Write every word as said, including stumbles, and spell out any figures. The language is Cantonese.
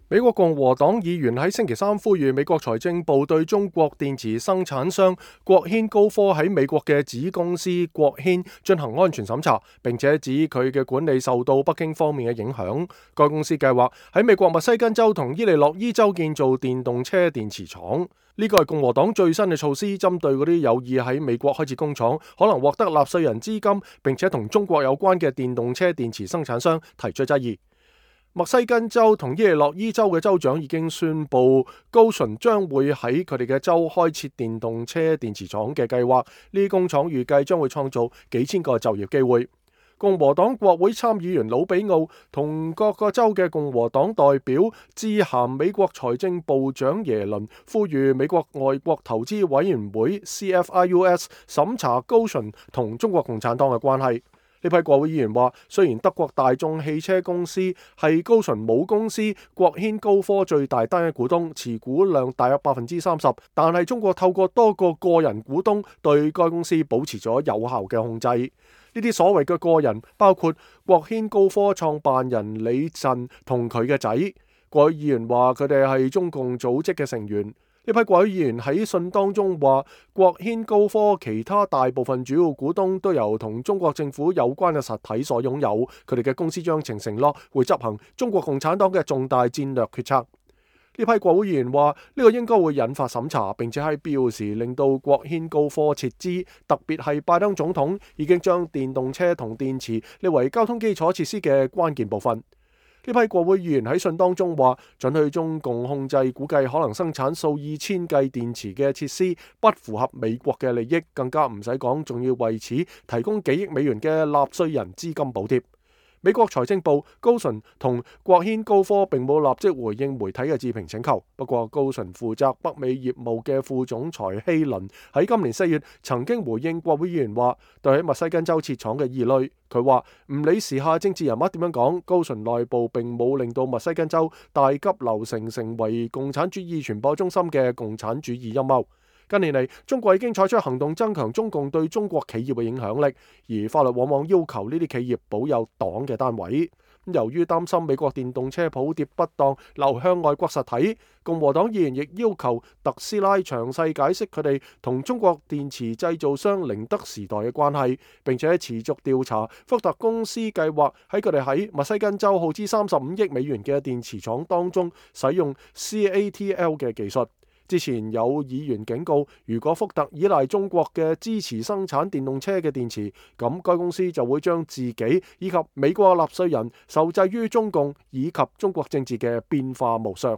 美國共和黨議員喺星期三呼籲美國財政部對中國電池生產商國軒高科喺美國嘅子公司國軒進行安全審查，並且指佢嘅管理受到北京方面嘅影響。該公司計劃喺美國密西根州同伊利諾伊州建造電動車電池廠。呢個係共和黨最新嘅措施，針對嗰啲有意喺美國開設工廠、可能獲得納稅人資金，並且同中國有關嘅電動車電池生產商提出質疑。密西根州同伊利諾伊州嘅州長已經宣布，高淳將會喺佢哋嘅州開設電動車電池廠嘅計劃。呢啲工廠預計將會創造幾千個就業機會。共和黨國會參議員魯比奧同各個州嘅共和黨代表致函美國財政部長耶倫，呼籲美國外國投資委員會 C F I U S 審查高淳同中國共產黨嘅關係。呢批國會議員話，雖然德國大眾汽車公司係高淳母公司國軒高科最大單一股東，持股量大約百分之三十，但係中國透過多個個人股東對該公司保持咗有效嘅控制。呢啲所謂嘅個人包括國軒高科創辦人李振同佢嘅仔。國會議員話佢哋係中共組織嘅成員。呢批國會議員喺信當中話，國軒高科其他大部分主要股東都由同中國政府有關嘅實體所擁有，佢哋嘅公司章程承諾會執行中國共產黨嘅重大戰略決策。呢批國會議員話，呢個應該會引發審查，並且喺必要時令到國軒高科撤資，特別係拜登總統已經將電動車同電池列為交通基礎設施嘅關鍵部分。呢批國會議員喺信當中話，准許中共控制估計可能生產數以千計電池嘅設施不符合美國嘅利益，更加唔使講，仲要為此提供幾億美元嘅納稅人資金補貼。美國財政部高淳同國軒高科並冇立即回應媒體嘅置評請求。不過高淳負責北美業務嘅副總裁希倫喺今年四月曾經回應國會議員話，對喺密西根州設廠嘅疑慮。佢話唔理時下政治人物點樣講，高淳內部並冇令到密西根州大急流成成為共產主義傳播中心嘅共產主義陰謀。近年嚟，中國已經採取行動增強中共對中國企業嘅影響力，而法律往往要求呢啲企業保有黨嘅單位。由於擔心美國電動車補貼不當流向外國實體，共和黨議員亦要求特斯拉詳細解釋佢哋同中國電池製造商寧德時代嘅關係，並且持續調查福特公司計劃喺佢哋喺密西根州耗資三十五億美元嘅電池廠當中使用 C A T L 嘅技術。之前有議員警告，如果福特依賴中國嘅支持生產電動車嘅電池，咁該公司就會將自己以及美國納稅人受制於中共以及中國政治嘅變化無常。